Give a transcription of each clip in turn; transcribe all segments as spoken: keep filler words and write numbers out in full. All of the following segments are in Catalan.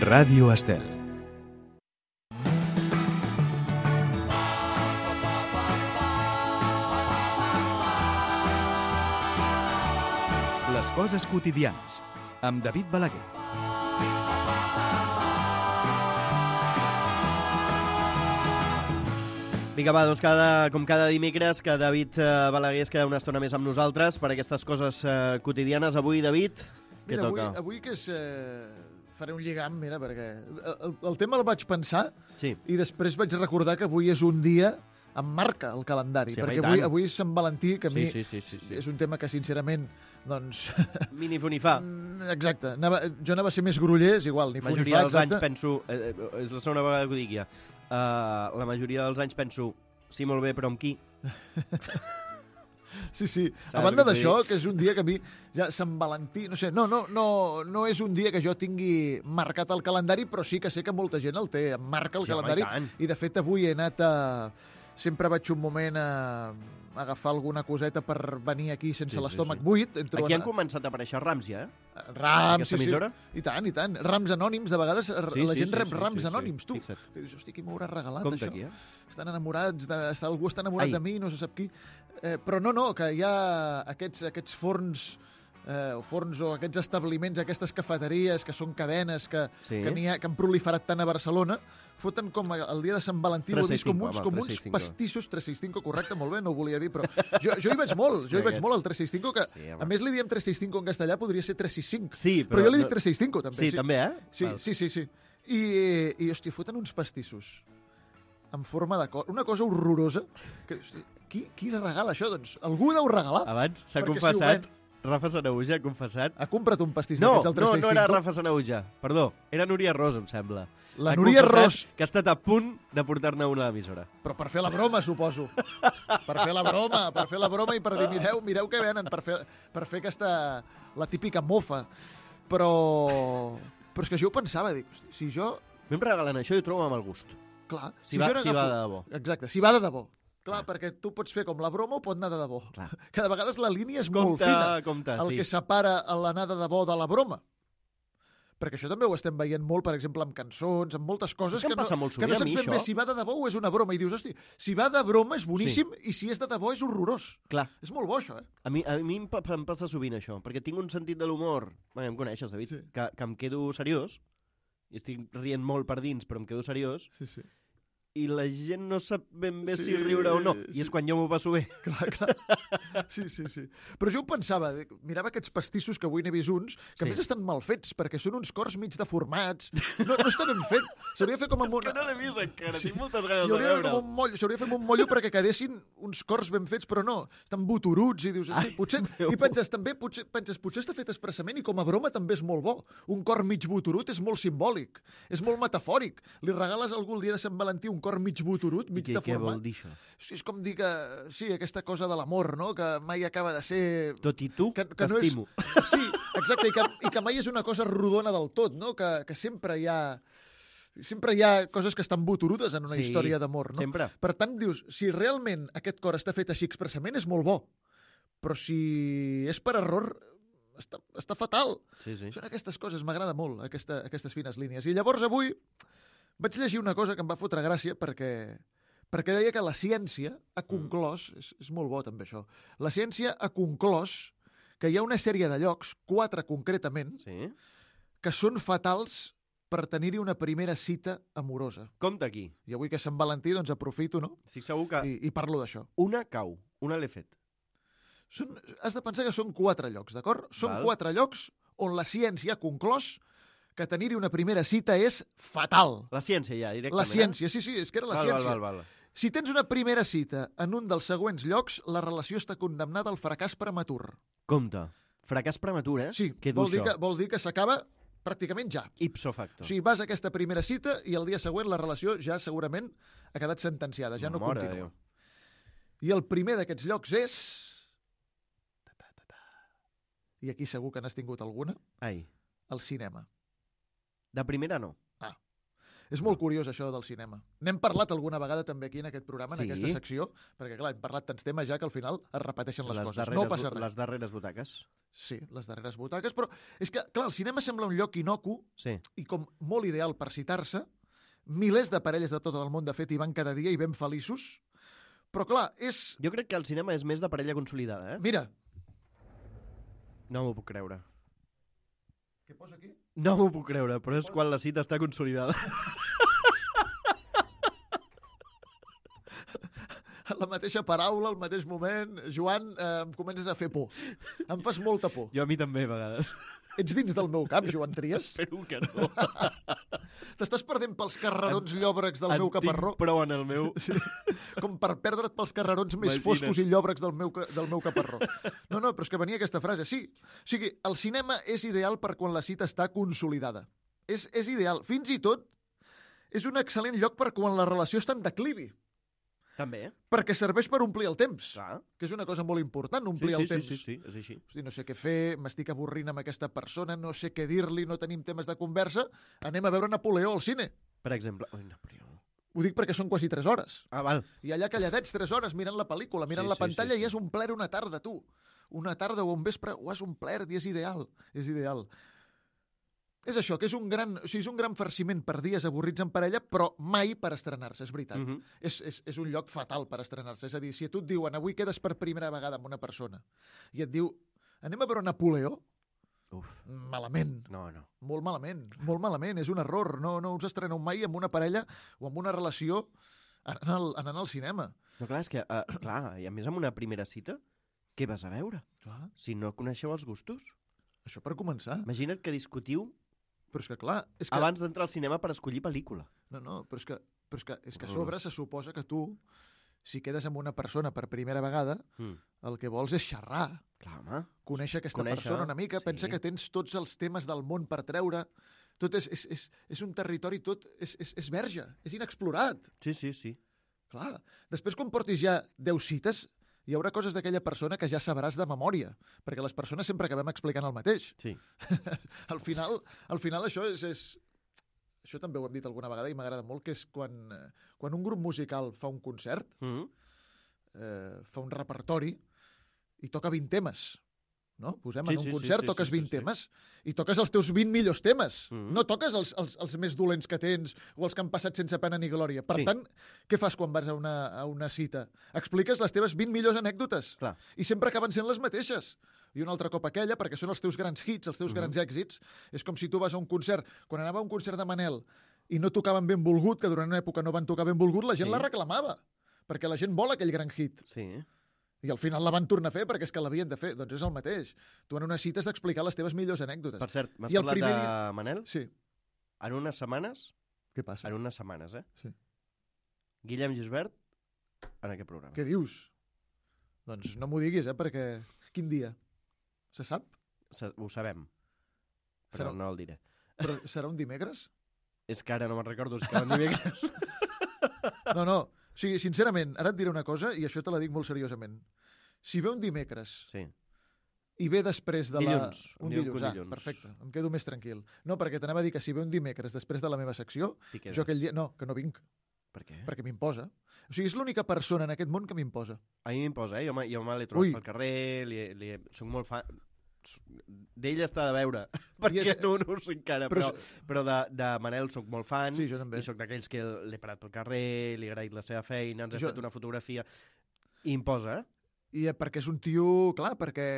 Ràdio Estel. Les coses quotidianes, amb David Balaguer. Vinga, va, doncs cada, com cada dimecres, que David eh, Balaguer es queda una estona més amb nosaltres per aquestes coses eh, quotidianes. Avui, David, què Mira, toca? Avui, avui que és... Eh, faré un lligam, mira, perquè el, el tema el vaig pensar Sí. i després vaig recordar que avui és un dia em marca el calendari, Sí, perquè home, i avui, tant. avui és Sant Valentí, que a mi Sí, sí, sí, sí, sí. és un tema que, sincerament, doncs... Mini funifà. Exacte. Anava, jo anava a ser més groller, és igual, ni La fu ni majoria fa, dels anys exacte. penso... Eh, eh, és la segona vegada que ho dic ja. Uh, la majoria dels anys penso... Sí, molt bé, però amb qui? Sí, sí. Saps A banda el que d'això, t'ho dic? que és un dia que a mi, ja Sant Valentí, no sé, no, no, no, no és un dia que jo tingui marcat al calendari, però sí que sé que molta gent el té, em marca el Sí, home, calendari. i tant. I, de fet, avui he anat a... Sempre vaig un moment a agafar alguna coseta per venir aquí sense Sí, sí, l'estómac sí. buit. Entro Aquí en- han començat a aparèixer rams ja, eh? Rams, Aquesta sí, sí. emissora? I tant, i tant. Rams anònims, de vegades r- Sí, la sí, gent sí, rep sí, rams sí, sí. anònims, tu. Fixa't. Que dius, hosti, qui m'ho haurà regalat, Compte això? aquí, eh? Estan enamorats, de, està, algú està enamorat Ai. de mi, no se sap qui. Eh, però no, no, que hi ha aquests, aquests forns, eh, o forns o aquests establiments, aquestes cafeteries, que són cadenes, que, Sí. que, n'hi ha, que han proliferat tant a Barcelona, foten com el dia de Sant Valentí, ho he vist com uns, com uns pastissos, tres sis cinc, correcte, molt bé, no ho volia dir, però jo, jo hi vaig molt, jo hi vaig molt al tres sis cinc, que Sí, home. a més li diem tres sis cinc en castellà, podria ser tres sis cinc. Sí, Però, però jo li dic no- tres sis cinc, també. Sí, també, eh? Sí, Val. sí, sí, sí. I, i hòstia, foten uns pastissos en forma de cor. Una cosa horrorosa. Que, hòstia, qui, qui regala això? Doncs algú deu regalar. Abans s'ha Perquè si ho confessat, ven- Rafa Sanauja ha confessat... Ha comprat un pastís No, d'aquests al no, tres sis cinc. no era Rafa Sanauja, perdó, era Núria Ros, em sembla. La Ha Núria confessat Ros. que ha estat a punt de portar-ne una a l'emissora. Però per fer la broma, suposo. Per fer la broma, per fer la broma i per dir, mireu, mireu què venen, per fer, per fer aquesta... la típica mofa. Però... Però és que jo ho pensava, dic, hosti, si jo... A mi em regalen això i ho trobo amb el gust. Clar, Si, si va, jo si va de debò. Exacte, si va de debò. Clar, perquè tu pots fer com la broma o pot anar de debò. Clar. Que de vegades la línia és molt Compte, fina. compte, El sí. que separa l'anar de debò de la broma. Perquè això també ho estem veient molt, per exemple, amb cançons, amb moltes coses És que em que no, passa molt que no sovint a saps mi, ben bé això. si va de debò o és una broma. I dius, hosti, si va de broma és boníssim i si és de debò és horrorós. Clar, És molt bo, això, eh? a mi, a mi em, pa- em passa sovint això, perquè tinc un sentit de l'humor, bé, em coneixes, David, Sí. que, que em quedo seriós, i estic rient molt per dins, però em quedo seriós, Sí, sí. i la gent no sap ben bé Sí, si riure o no, i sí. és quan jo m'ho passo bé. Clar, clar. Sí, sí, sí. Però jo ho pensava, dic, mirava aquests pastissos que avui n'he vist uns, que Sí. a més estan mal fets, perquè són uns cors mig deformats. No, no està ben fet. S'hauria de fer com amb una... l'he vist encara, Sí. tinc moltes Hi ganes de hauria de fer veure'l. com un moll, s'hauria de fer amb un mollo perquè quedessin uns cors ben fets, però no. Estan boturuts i dius, hosti, potser... Déu. I penses, també, potser, penses, potser està fet expressament i com a broma també és molt bo. Un cor mig boturut és molt simbòlic, és molt metafòric. Li regales a algú el dia de Sant Valentí un cor mig boturut, mig Què, què deformat. vol dir això? Hosti, és com dir que, sí, aquesta cosa de l'amor, no?, que mai acaba de ser... Tot i tu, que, que no és... t'estimo. Sí, exacte, i que, i que mai és una cosa rodona del tot, no?, que, que sempre hi ha... Sempre hi ha coses que estan boturudes en una Sí, història d'amor, no? sempre. Per tant, dius, si realment aquest cor està fet així expressament, és molt bo. Però si és per error, està, està fatal. Sí, sí. Són aquestes coses, m'agrada molt, aquesta, aquestes fines línies. I llavors avui vaig llegir una cosa que em va fotre gràcia perquè, perquè deia que la ciència ha conclòs, mm. és, és molt bo també això, la ciència ha conclòs que hi ha una sèrie de llocs, quatre concretament, Sí? que són fatals per tenir-hi una primera cita amorosa. Compte aquí. I avui que és Sant Valentí, doncs aprofito, no?, Estic segur que I, i parlo d'això. una cau, una l'he fet. Són, has de pensar que són quatre llocs, d'acord? Són Val. quatre llocs on la ciència ha conclòs que tenir-hi una primera cita és fatal. La ciència ja, directament. La ciència, sí, sí, és que era la val, ciència. Val, val, val. Si tens una primera cita en un dels següents llocs, la relació està condemnada al fracàs prematur. Compte. Fracàs prematur, eh? Sí, Què dur vol dir, això? que, vol dir que s'acaba pràcticament ja. Ipso facto. O sigui, vas a aquesta primera cita i el dia següent la relació ja segurament ha quedat sentenciada, ja no Mare de continua. Déu. I el primer d'aquests llocs és... Ta, ta, ta, ta. I aquí segur que n'has tingut alguna. Ai, El cinema. de primera no. És molt curiós això del cinema. N'hem parlat alguna vegada també aquí en aquest programa, en Sí. aquesta secció, perquè clar, hem parlat tants temes ja que al final es repeteixen les, coses. darreres, No passa res. Les darreres butaques. Sí, les darreres butaques, però és que, clar, el cinema sembla un lloc inocu Sí. i com molt ideal per citar-se. Milers de parelles de tot el món, de fet, hi van cada dia i ben feliços. Però, clar, és... Jo crec que el cinema és més de parella consolidada, eh? Mira, No m'ho puc creure. què posa aquí? No m'ho puc creure, però és quan la cita està consolidada. La mateixa paraula, al mateix moment. Joan, eh, em comences a fer por. Em fas molta por. Jo a mi també, a vegades. Ets dins del meu cap, Joan Trias? Espero que no. T'estàs perdent pels carrerons llòbrecs del en meu caparró? tinc prou en el meu... Sí. Com per perdre't pels carrerons més Imagina't. foscos i llòbrecs del meu, ca- del meu caparró. No, no, però és que venia aquesta frase. Sí, o sigui, el cinema és ideal per quan la cita està consolidada. És, és ideal. Fins i tot és un excel·lent lloc per quan la relació està en declivi. També, eh? Perquè serveix per omplir el temps. Clar. Que és una cosa molt important, Sí, omplir sí, el sí, temps. sí, sí, és així. Hosti, no sé què fer, m'estic avorrint amb aquesta persona, no sé què dir-li, no tenim temes de conversa, anem a veure Napoleó al cine. Per exemple... Ui, Napoleó. Ho dic perquè són quasi tres hores. Ah, val. I allà calladets tres hores mirant la pel·lícula, mirant Sí, la sí, pantalla sí, sí. i has omplert una tarda, tu. Una tarda o un vespre ho has omplert i és ideal. És ideal. És això, que és un gran, o sigui, és un gran farciment per dies avorrits en parella, però mai per estrenar-se, és veritat. Mhm. és, és, és un lloc fatal per estrenar-se. És a dir, si a tu et diuen avui quedes per primera vegada amb una persona i et diu anem a veure Napoleó, Uf, malament. no, no. Molt malament, molt malament, és un error. No, no us estreneu mai amb una parella o amb una relació anant al, anant al cinema. No, clar, és que, uh, clar, i a més amb una primera cita, què vas a veure? Clar, Si no coneixeu els gustos? això per començar. Imagina't que discutiu Però és que, clar, és que... abans d'entrar al cinema per escollir pel·lícula. No, no, però és que, però és que, és que a sobre se suposa que tu, si quedes amb una persona per primera vegada, Mm. el que vols és xerrar, Clar, home. conèixer aquesta Conèixer, persona una mica, sí. pensa que tens tots els temes del món per treure, tot és, és, és, és un territori, tot és, és, és verge, és inexplorat. Sí, sí, sí. Clar, després quan portis ja deu cites, hi haurà coses d'aquella persona que ja sabràs de memòria, perquè les persones sempre acabem explicant el mateix. Sí. Al final, al final això és, és... Això també ho hem dit alguna vegada i m'agrada molt, que és quan, eh, quan un grup musical fa un concert, Mm. eh, fa un repertori i toca vint temes. No? Posem Sí, en un sí, sí, concert, sí, toques sí, sí, vint sí. temes i toques els teus vint millors temes. Mhm. No toques els, els, els més dolents que tens o els que han passat sense pena ni glòria. Per Sí. tant, què fas quan vas a una, a una cita? Expliques les teves vint millors anècdotes Clar. i sempre acaben sent les mateixes. I un altre cop aquella, perquè són els teus grans hits, els teus Mhm. grans èxits. És com si tu vas a un concert. Quan anava a un concert de Manel i no tocaven Benvolgut, que durant una època no van tocar Benvolgut, la gent Sí. la reclamava, perquè la gent vol aquell gran hit. Sí. I al final la van tornar a fer perquè és que l'havien de fer. Doncs és el mateix. Tu en una cita has d'explicar les teves millors anècdotes. Per cert, m'has I el parlat primer de dia- Manel? Sí. En unes setmanes, Què passa? en unes setmanes, eh? Sí. Guillem Gisbert en aquest programa. Què dius? Doncs no m'ho diguis, eh, perquè... Quin dia? Se sap? Se- Ho sabem, però Serà- no el diré. Però serà un dimecres? És que ara no me'n recordo, és que van dimecres. No, no. O sigui, sincerament, ara et diré una cosa i això te la dic molt seriosament. Si ve un dimecres Sí. i ve després de la... Dilluns. Un Em diuen dilluns, que ah, dilluns. perfecte. Em quedo més tranquil. No, perquè t'anava a dir que si ve un dimecres després de la meva secció, T'hi quedes. jo aquell dia... No, que no vinc, Per què? perquè m'imposa. O sigui, és l'única persona en aquest món que m'imposa. A mi m'imposa, eh? Jo, me- jo me l'he trobat Ui. pel carrer, li, li, soc molt fan... D'ell està de veure, perquè és- no, no ho sé encara, Però però, però de, de Manel soc molt fan, Sí, jo també. i soc d'aquells que l'he parat pel carrer, li he agraït la seva feina, ens hem Jo- fet una fotografia, i imposa, eh? I eh, perquè és un tio... Clar, perquè...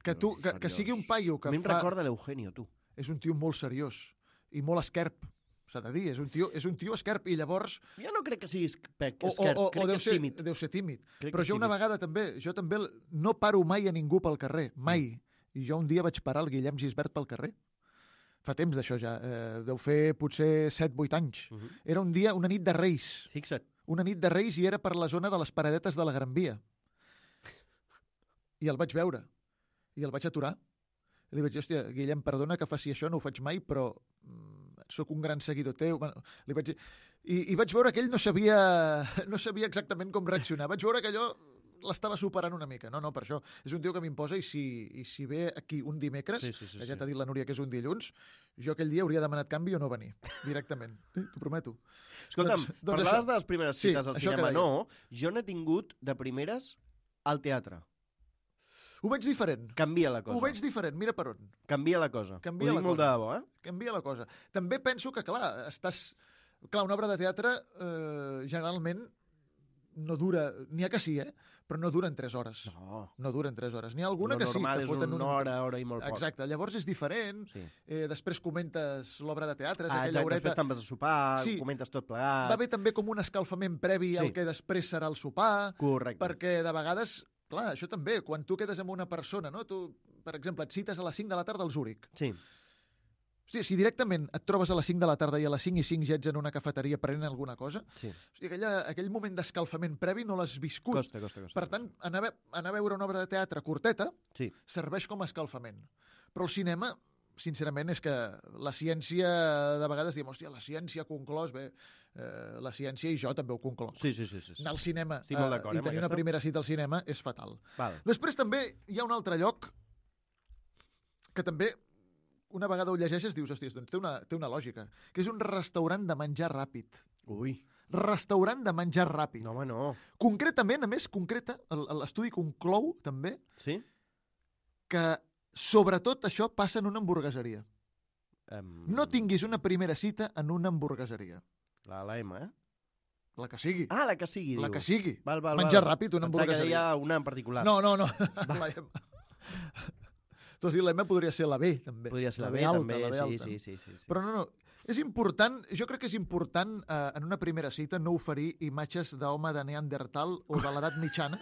Que, tu, que, que sigui un paio que a mi em fa... recorda l'Eugenio, tu. És un tio molt seriós i molt esquerp, s'ha de dir. És un tio, és un tio esquerp i llavors... Jo no crec que siguis esquerp, O, o, o, crec o que deu, és ser, tímid. deu ser tímid. Crec Però que és jo una tímid. vegada també, jo també no paro mai a ningú pel carrer, mai. I jo un dia vaig parar el Guillem Gisbert pel carrer. Fa temps d'això ja, eh, deu fer potser set vuit anys. Uh -huh. Era un dia, una nit de Reis. Fixa't. Una nit de Reis i era per la zona de les paradetes de la Gran Via. I el vaig veure. I el vaig aturar. I li vaig dir, hòstia, Guillem, perdona que faci això, no ho faig mai, però mm, sóc un gran seguidor teu. Bueno, li vaig dir... I, I vaig veure que ell no sabia, no sabia exactament com reaccionar. Vaig veure que allò l'estava superant una mica. No, no, per això. És un tio que m'imposa i si, i si ve aquí un dimecres, Sí, sí, sí, que ja sí. t'ha dit la Núria que és un dilluns, jo aquell dia hauria demanat canvi o no venir, directament. Sí, t'ho prometo. Escolta'm, Doncs- doncs parlaves això. de les primeres Sí, cites al això que cinema. deia. No, jo n'he tingut de primeres al teatre. Ho veig diferent. Canvia la cosa. Ho veig diferent, mira per on. Canvia la cosa. Canvia Ho la dic molt cosa. de debò, eh? Canvia la cosa. També penso que, clar, estàs... Clar, una obra de teatre eh, generalment no dura... N'hi ha que sí, eh? Però no duren tres hores. No. No duren tres hores. N'hi ha alguna Lo que sí, normal que és foten una hora, hora i molt poc. Exacte, llavors és diferent. Sí. Eh, després comentes l'obra de teatre, és Ah, aquella exacte, horeta... després te'n vas a sopar, Sí. comentes tot plegat. Va haver també com un escalfament previ Sí. al que després serà el sopar, Correcte. perquè de vegades, clar, això també, quan tu quedes amb una persona, no? Tu, per exemple, et cites a les cinc de la tarda al Zúrich. Sí. Hòstia, si directament et trobes a les cinc de la tarda i a les cinc i cinc ja ets en una cafeteria prenent alguna cosa, Sí. hòstia, aquella, aquell moment d'escalfament previ no l'has viscut. Costa, costa, costa. Per tant, anar a, ve anar a veure una obra de teatre curteta Sí. serveix com a escalfament. Però el cinema, sincerament, és que la ciència, de vegades diem, hòstia, la ciència ha conclòs, bé, eh, la ciència i jo també ho concloc. Sí, sí, sí. sí, sí. Anar al cinema Estic molt eh, d'acord, i eh, amb tenir una aquesta. primera cita al cinema és fatal. Val. Després també hi ha un altre lloc que també una vegada ho llegeixes dius, hòstia, doncs té una, té una lògica, que és un restaurant de menjar ràpid. Ui. Restaurant de menjar ràpid. No, home, no. Concretament, a més, concreta, el- l'estudi conclou també Sí? que sobretot això passa en una hamburgueseria. Um, No tinguis una primera cita en una hamburgueseria. La, la M, eh? La que sigui. Ah, la que sigui, la diu. que sigui. Val, val, Menjar val. ràpid, una Pensava que hamburgueseria. deia una en particular. No, no, no. La M. Tu has dit la M, podria ser la B, també. Podria ser la, B, alta, també. la B sí, alta. sí, sí, sí, sí. Però no, no. És important, jo crec que és important eh, en una primera cita no oferir imatges d'home de Neandertal o de l'edat mitjana.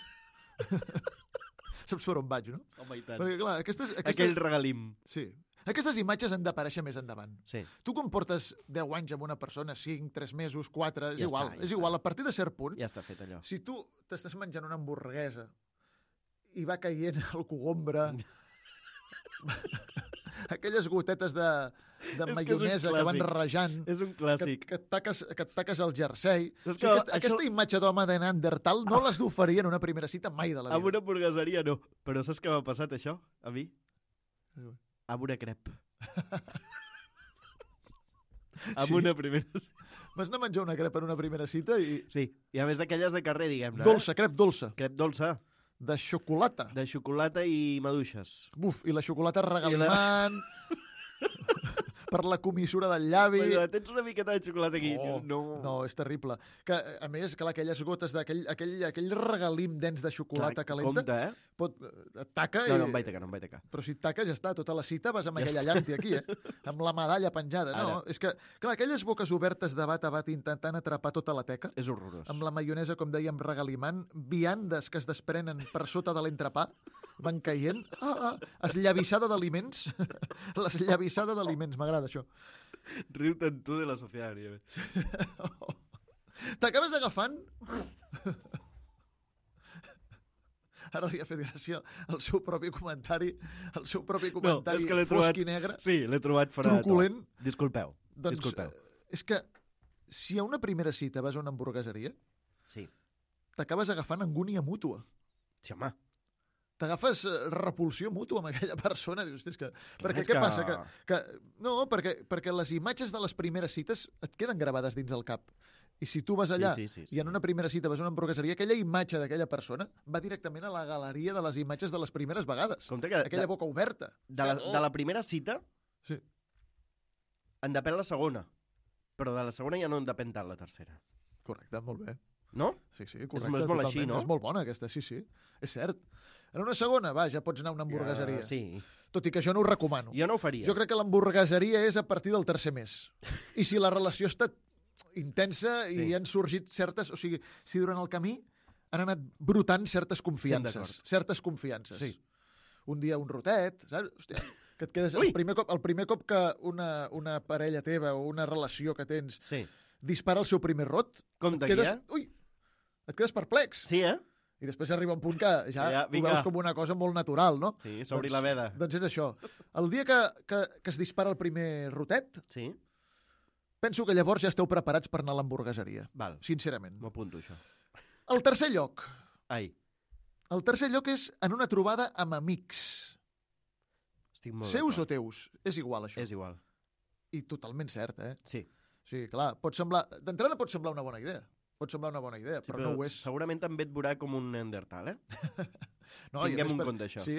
Saps per on vaig, no? Home, i tant. Perquè, clar, aquestes, aquestes, Aquell regalim. sí. Aquestes imatges han d'aparèixer més endavant. Sí. Tu quan portes deu anys amb una persona, cinc, tres mesos, quatre, és Ja igual. està, ja és està. igual, a partir de cert punt, Ja està fet allò. si tu t'estàs menjant una hamburguesa i va caient el cogombre, aquelles gotetes de, de És que és un maionesa que, van clàssic. rajant, És un que, clàssic. que, et taques, que et taques el jersei. És O sigui, que aquesta, això- aquesta imatge d'home de Neandertal no l'has d'oferir en una primera cita mai de la Amb vida. una hamburgueseria no. Però saps què m'ha passat, això? A mi? Amb una crep. Amb Sí? una primera... Vas anar a menjar una crepa en una primera cita i... Sí, i a més d'aquelles de carrer, diguem-ne. Dolça, crep dolça, Eh? Crep dolça, de xocolata. de xocolata i maduixes. Buf, i la xocolata regalimant... per la comissura del llavi... Però tens una miqueta de xocolata aquí. Oh, no. no, és terrible. Que, a més, clar, aquelles gotes d'aquell aquell, aquell regalim dens de xocolata Clar, calenta compte, eh? pot, et taca No, i... no em vaig tacar, no em vaig tacar. Però si et taca ja està, tota la cita vas amb Ja aquella està. llanti aquí, eh? Amb la medalla penjada. No, és que, clar, aquelles boques obertes de bat a bat intentant atrapar tota la teca, És horrorós. amb la maionesa, com dèiem, regalimant, viandes que es desprenen per sota de l'entrepà, van caient. Ah, ah, esllavissada d'aliments. L'esllavissada d'aliments, m'agrada això. Riu-te'n tu de la societat. Nieves. T'acabes agafant... Ara li ha fet gràcia el seu propi comentari, el seu propi comentari és que l'he fosc trobat- i negre, Sí, l'he trobat fora de to. truculent. Disculpeu, Doncs disculpeu. eh, és que si a una primera cita vas a una hamburgueseria, Sí. t'acabes agafant angúnia mútua. Sí, home. T'agafes eh, repulsió mútua amb aquella persona. Dius, "Hosti, és que... Perquè és què que- passa? Que, que... No, perquè, perquè les imatges de les primeres cites et queden gravades dins el cap. I si tu vas allà Sí, sí, sí, i en una primera cita vas a una hamburgueseria, aquella imatge d'aquella persona va directament a la galeria de les imatges de les primeres vegades. Compte que Aquella de, boca oberta. de, la, Oh. de la primera cita Sí. en depèn la segona. Però de la segona ja no en depèn tant la tercera. Correcte, molt bé. No? Sí, sí, és correcte. molt totalment. així, no? És molt bona aquesta, sí, sí. És cert. En una segona, va, ja pots anar a una hamburgueseria. Ja, sí. Tot i que jo no ho recomano. Jo no ho faria. Jo crec que l'hamburgueseria és a partir del tercer mes. I si la relació ha estat intensa Sí. i han sorgit certes... O sigui, si durant el camí han anat brotant certes Estem confiances. d'acord. Certes confiances. Sí. Un dia un rotet, saps? Hòstia, que et quedes... Ui! El primer, cop, el primer cop que una, una parella teva o una relació que tens Sí. dispara el seu primer rot, Compte et quedes... aquí, eh? Ui! Et quedes perplex. Sí, eh? I després arriba un punt que ja, Ja, ho vinga. veus com una cosa molt natural, no? Sí, s'obri la veda. Doncs és això. El dia que, que, que es dispara el primer rotet, Sí? penso que llavors ja esteu preparats per anar a l'hamburgueseria. Val, Sincerament. m'ho apunto, això. El tercer lloc. Ai, El tercer lloc és en una trobada amb amics. estic molt Seus o d'acord. teus? És igual, això. És igual. I totalment cert, eh? Sí. Sí, clar, pot semblar... D'entrada pot semblar una bona idea. Pot semblar una bona idea, Sí, però, no ho és. Segurament també et veurà com un Neandertal, eh? No, i a Tinguem més un per- compte, això. Sí.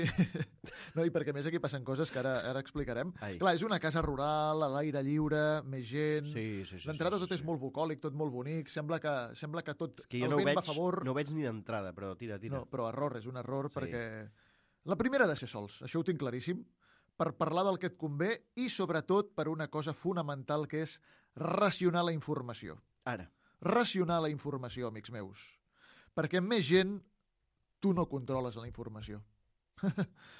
No, i perquè a més aquí passen coses que ara, ara explicarem. Ai. Clar, és una casa rural, a l'aire lliure, més gent... Sí, sí, sí. D'entrada sí, tot sí, és molt bucòlic, tot molt bonic, sembla que, sembla que tot És que jo el no ho vent veig, va a favor. no ho veig ni d'entrada, però tira, tira. No, però error, és un error, Sí. perquè... La primera ha de ser sols, això ho tinc claríssim, per parlar del que et convé i, sobretot, per una cosa fonamental, que és racionar la informació. Ara. Racionar la informació, amics meus. Perquè amb més gent, tu no controles la informació.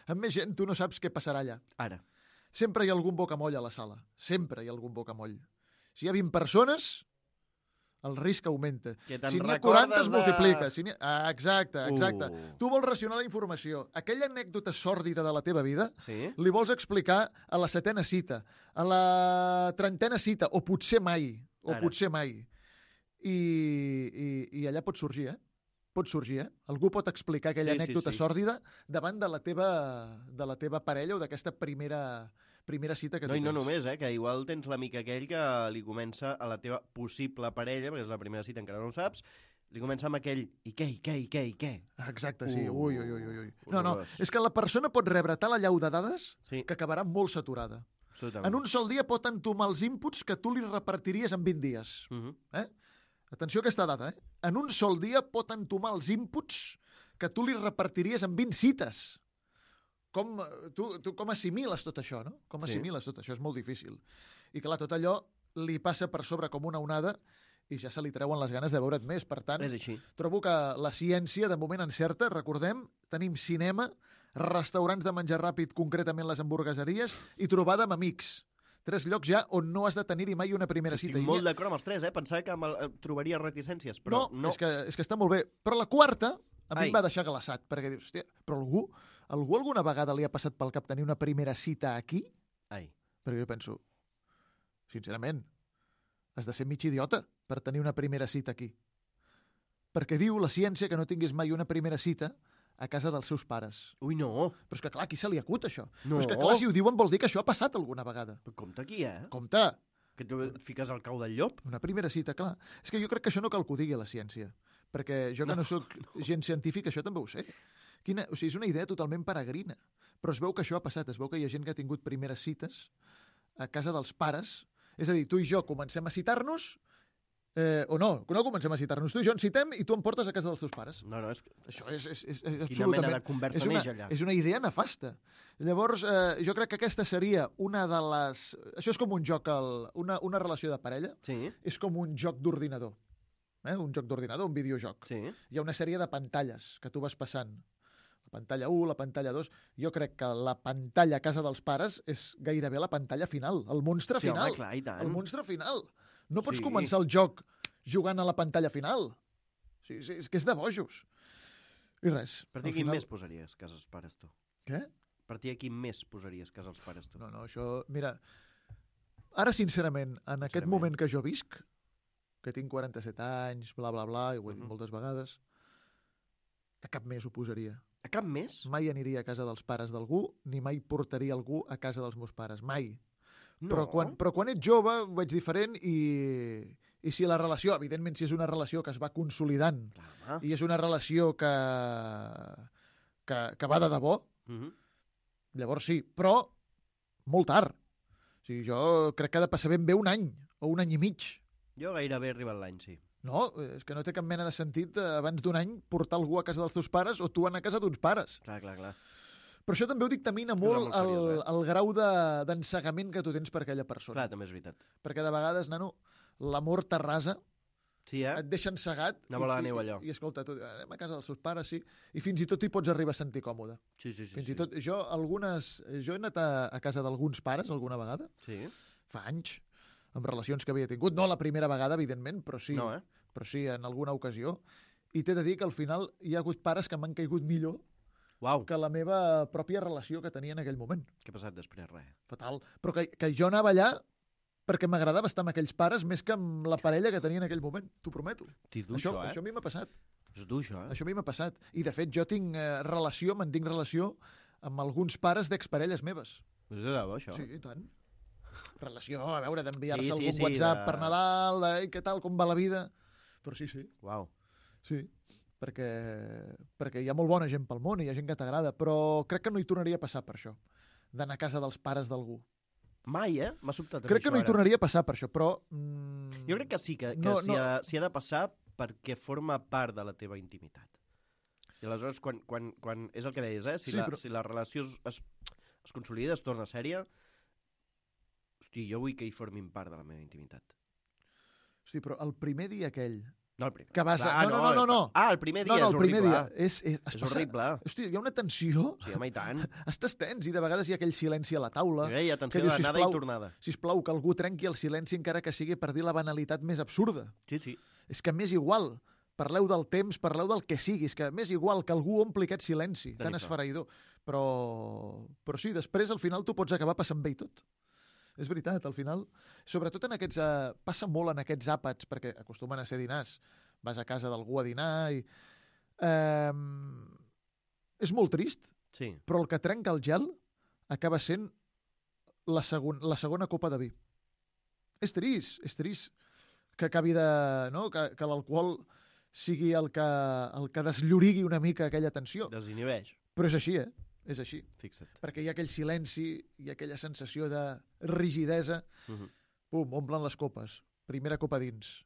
Amb més gent, tu no saps què passarà allà. Ara. Sempre hi ha algun bocamoll a la sala. Sempre hi ha algun bocamoll. Si hi ha vint persones, el risc augmenta. Que te'n Si n'hi ha recordes quaranta, es de- multiplica. Si n'hi ha... ah, exacte, exacte. Uh. Tu vols racionar la informació. Aquella anècdota sòrdida de la teva vida Sí? li vols explicar a la setena cita, a la trentena cita, o potser mai, o Ara. potser mai. I, i, I allà pot sorgir, eh? Pot sorgir, eh? Algú pot explicar aquella Sí, sí, anècdota sí. sòrdida davant de la teva, de la teva parella o d'aquesta primera, primera cita que No, tu i no tens. només, eh, que igual tens l'amic aquell que li comença a la teva possible parella, perquè és la primera cita, encara no ho saps, li comença amb aquell i què, i què, i què, i què. Ah, exacte, sí. Uh, ui, ui, ui, ui. No, no, horrorós. és que la persona pot rebre tal allau de dades Sí, que acabarà molt saturada. absolutament. En un sol dia pot entomar els inputs que tu li repartiries en vint dies. Uh -huh. Eh? Atenció a aquesta dada, eh? En un sol dia pot entomar els inputs que tu li repartiries en vint cites. Com, eh, tu, tu com assimiles tot això, no? Com Sí. assimiles tot això? És molt difícil. I clar, tot allò li passa per sobre com una onada i ja se li treuen les ganes de veure't més. Per tant, És així. trobo que la ciència de moment encerta. Recordem, tenim cinema, restaurants de menjar ràpid, concretament les hamburgueseries, i trobada amb amics. Tres llocs ja on no has de tenir-hi mai una primera Estic cita. I molt n'hi ha- d'acord amb els tres, eh? Pensava que me'l- eh, trobaria reticències, però no, no. És, que, és que està molt bé. Però la quarta a mi Ai. em va deixar glaçat, perquè dius, hòstia, però algú, algú alguna vegada li ha passat pel cap tenir una primera cita aquí? Ai. Perquè jo penso, sincerament, has de ser mig idiota per tenir una primera cita aquí. Perquè diu la ciència que no tinguis mai una primera cita a casa dels seus pares. Ui, no. Però és que, clar, qui se li acut, això? No. Però és que, clar, si ho diuen vol dir que això ha passat alguna vegada. Però compte aquí, eh? Compte, Que tu et fiques al cau del llop. una primera cita, clar. És que jo crec que això no cal que ho digui la ciència. Perquè jo que no, no sóc gent científica, això també ho sé. Quina, o sigui, és una idea totalment peregrina. Però es veu que això ha passat. Es veu que hi ha gent que ha tingut primeres cites a casa dels pares. És a dir, tu i jo comencem a citar-nos, eh, o no, no comencem a citar-nos. Tu i jo ens citem i tu em portes a casa dels teus pares. No, no, és... Això és, és, és, és Quina absolutament... mena de conversa és una, neix allà? és una idea nefasta. Llavors, eh, jo crec que aquesta seria una de les... Això és com un joc, el, una, una relació de parella, Sí, és com un joc d'ordinador. Eh? Un joc d'ordinador, un videojoc. sí. Hi ha una sèrie de pantalles que tu vas passant. La pantalla u, la pantalla dos... Jo crec que la pantalla a casa dels pares és gairebé la pantalla final, el monstre Sí, final. home, clar, i tant. El monstre final. No pots Sí. començar el joc jugant a la pantalla final. Sí, sí, és que és de bojos. I res. Per al ti, quin final- més posaries casa els pares, tu? Què? Per ti, quin més posaries casa els pares, tu? No, no, això... Mira, ara, sincerament, en aquest Sincerament. moment que jo visc, que tinc quaranta-set anys, bla, bla, bla, i ho he dit Mhm. moltes vegades, a cap més ho posaria. A cap més? Mai aniria a casa dels pares d'algú, ni mai portaria algú a casa dels meus pares. Mai. No. Però, quan, però quan ets jove ho veig diferent i, i si la relació, evidentment, si és una relació que es va consolidant Clar, home. i és una relació que, que, que va de debò, Mhm. llavors sí, però molt tard. O sigui, jo crec que ha de passar ben bé un any o un any i mig. Jo gairebé he arribat l'any, sí. No, és que no té cap mena de sentit eh, abans d'un any portar algú a casa dels teus pares o tu anar a casa d'uns pares. Clar, clar, clar. Però això també ho dictamina Cosa molt molt el, seriosa, eh? el grau de- d'ensegament que tu tens per aquella persona. Clar, també és veritat. Perquè de vegades, nano, l'amor t'arrasa, Sí, eh? et deixa encegat Una bola de i, neu, i, allò. i, escolta, tu, anem a casa dels seus pares, sí, i fins i tot t'hi pots arribar a sentir còmode. Sí, sí, sí. Fins sí. i tot, jo, algunes, jo he anat a, a casa d'alguns pares alguna vegada, Sí? fa anys, amb relacions que havia tingut, no la primera vegada, evidentment, però sí, No, eh? però sí en alguna ocasió, i t'he de dir que al final hi ha hagut pares que m'han caigut millor Uau, que la meva pròpia relació que tenia en aquell moment. què ha passat després? Res. Fatal. Però que, que jo anava allà perquè m'agradava estar amb aquells pares més que amb la parella que tenia en aquell moment, t'ho prometo. T'hi dur, Això, això, eh? això a mi m'ha passat. És dur, això, eh? Això a mi m'ha passat. I, de fet, jo tinc eh, relació, mantinc relació amb alguns pares d'exparelles meves. És de debò, això? Sí, i tant. Relació, a veure, d'enviar-se Sí, sí, algun sí, WhatsApp de- per Nadal, de, "Ei, què tal, com va la vida? Però sí, sí, Uau. sí. perquè, perquè hi ha molt bona gent pel món i hi ha gent que t'agrada, però crec que no hi tornaria a passar per això, d'anar a casa dels pares d'algú. Mai, eh? M'ha sobtat Crec que no hi ara. tornaria a passar per això, però... Mm, Jo crec que sí, que, que no, s'hi no. ha, s'hi ha de passar perquè forma part de la teva intimitat. I aleshores, quan, quan, quan és el que deies, eh? Si, Sí, la, però- si la relació es, es, es consolida, es torna sèria, hosti, jo vull que hi formin part de la meva intimitat. Hosti, però el primer dia aquell... No, el primer. Que vas a- Ah, no, no, no, no. Ah, el primer dia no, no, és el primer horrible. dia és, és, es És passa- horrible. Hosti, hi ha una tensió, Sí, home, i tant. estàs tens i de vegades hi ha aquell silenci a la taula. Hi ha atenció que dius, d'anada sisplau, i tornada. Sisplau, que algú trenqui el silenci encara que sigui per dir la banalitat més absurda. Sí, sí. És que m'és igual. Parleu del temps, parleu del que siguis, que m'és igual que algú ompli aquest silenci tan Déu-n'hi-do. esfereïdor. Però, però sí, després al final tu pots acabar passant bé i tot. És veritat, al final, sobretot en aquests... Eh, passa molt en aquests àpats, perquè acostumen a ser dinars. Vas a casa d'algú a dinar i... Eh, és molt trist, Sí. però el que trenca el gel acaba sent la, segon, la segona copa de vi. És trist, és trist que acabi de... No? Que, que l'alcohol sigui el que, el que desllorigui una mica aquella tensió. Desinhibeix. Però és així, eh? És així. Fixa't. Perquè hi ha aquell silenci, hi ha aquella sensació de rigidesa. Uh -huh. Pum, omplen les copes. Primera copa dins.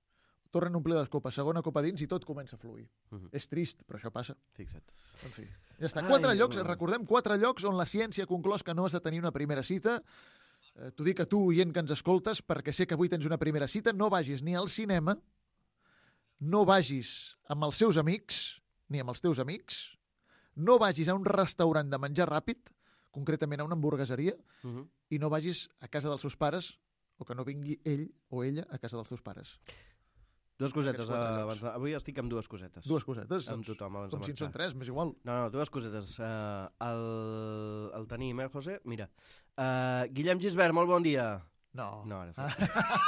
Tornen a omplir les copes. Segona copa dins i tot comença a fluir. Uh -huh. És trist, però això passa. Fixa't. En fi, ja està. Ai, Quatre llocs, bueno. recordem, quatre llocs on la ciència ha conclòs que no has de tenir una primera cita. Eh, T'ho dic a tu, oient que ens escoltes, perquè sé que avui tens una primera cita. No vagis ni al cinema, no vagis amb els seus amics, ni amb els teus amics, no vagis a un restaurant de menjar ràpid, concretament a una hamburgueseria, Uh -huh. i no vagis a casa dels seus pares, o que no vingui ell o ella a casa dels teus pares. Dues cosetes. Aquests quatre Uh, llocs. abans, avui estic amb dues cosetes. Dues cosetes. Amb doncs, tothom abans com de si en marxar. són tres, m'és igual. No, no, dues cosetes. Uh, el, el tenim, eh, José? Mira. Uh, Guillem Gisbert, molt bon dia. No. No, ara sí. Ah.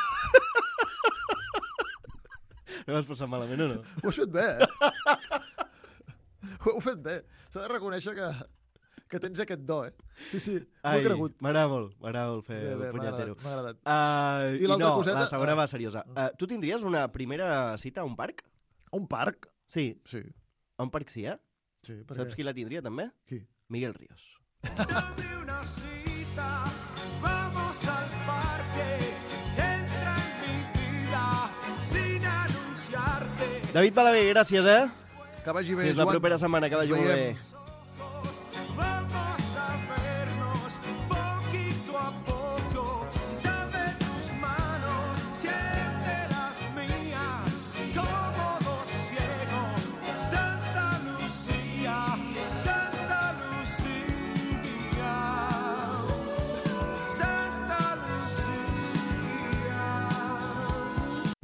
No vas passar malament o no? Ho has fet bé, eh? Ho heu fet bé. S'ha de reconèixer que, que tens aquest do, eh? Sí, sí, m'ho he cregut. M'agrada molt, m'agrada molt fer Bé, el bé, m'ha punyetero. agradat, m'ha agradat. Uh, I l'altra no, coseta? la segona Ah. va seriosa. Uh, tu tindries una primera cita a un parc? A un parc? Sí, Sí. a un parc sí, eh? Sí, perquè... Saps qui la tindria, també? Qui? Miguel Ríos. Dame una cita, vamos al parque, entra en mi vida sin anunciarte. David Balaguer, gràcies, eh? Que vagi bé, Fins la Joan. propera setmana, que Ens vagi molt bé. veiem. Vamos a vernos poquito a poco. Dame tus manos, siente las mías, como dos ciegos. Santa Lucía, Santa Lucía, Santa Lucía.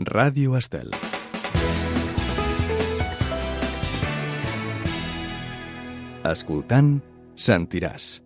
Ràdio Estel. Escoltant, sentiràs.